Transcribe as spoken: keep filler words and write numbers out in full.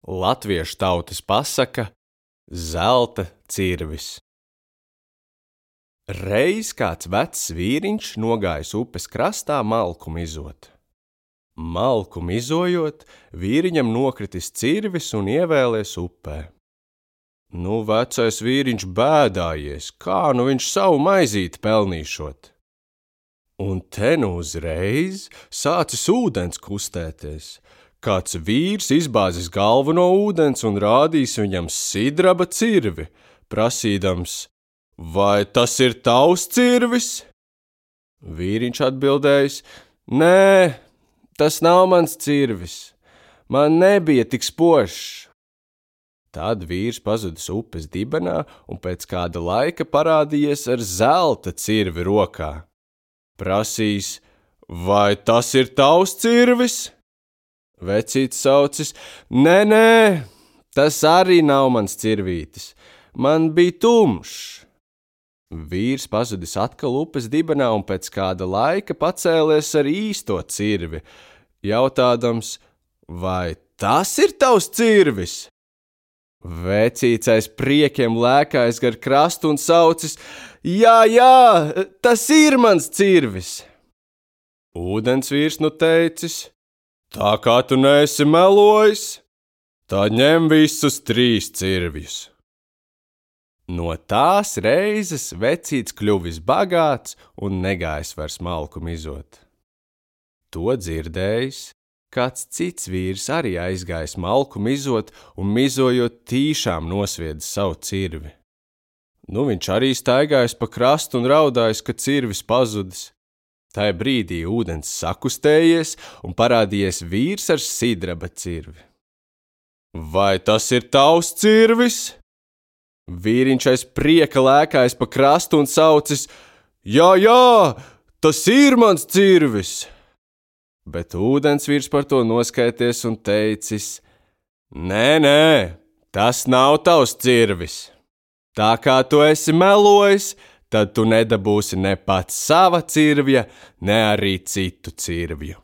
Latviešu tautas pasaka zelta cirvis. Reiz kāds vecs vīriņš nogājis upes krastā malku mizot. Malku mizojot, vīriņam nokritis cirvis un ievēlies upē. Nu, vecais vīriņš bēdājies, kā nu viņš savu maizīti pelnīšot. Un te nu uzreiz sācis ūdens kustēties. Kāds vīrs izbāzis galvu no ūdens un rādīs viņam sidraba cirvi, prasīdams: vai tas ir tavs cirvis? Vīriņš atbildējis: nē, tas nav mans cirvis, man nebija tik spožs. Tad vīrs pazudis upes dibenā un pēc kāda laika parādījies ar zelta cirvi rokā. Prasīs: vai tas ir tavs cirvis? Vecītis saucis: nē, nē, tas arī nav mans cirvītis, man bija tumšs. Vīrs pazudis atkal upes dibenā un pēc kāda laika pacēlies ar īsto cirvi, jautādams: vai tas ir tavs cirvis? Vecīts aiz priekiem lēkājis gar krastu un saucis: jā, jā, tas ir mans cirvis. Ūdensvīrs nu teicis: tā kā tu neesi melojis, tad ņem visus trīs cirvjus. No tās reizes vecīts kļuvis bagāts un negājis vairs malku mizot. To dzirdējis, kāds cits vīrs arī aizgājis malku mizot un mizojot tīšām nosviedis savu cirvi. Nu, viņš arī staigājis pa krastu un raudājis, ka cirvis pazudis. Tajā brīdī ūdens sakustējies un parādījies vīrs ar sidraba cirvi. Vai tas ir tavs cirvis? Vīriņš aiz prieka lēkājis pa krastu un saucis: jā, jā, tas ir mans cirvis. Bet ūdensvīrs par to noskaities un teicis: nē, nē, tas nav tavs cirvis. Tā kā tu esi melojis, tad tu nedabūsi ne pats sava cirvja, ne arī citu cirvju.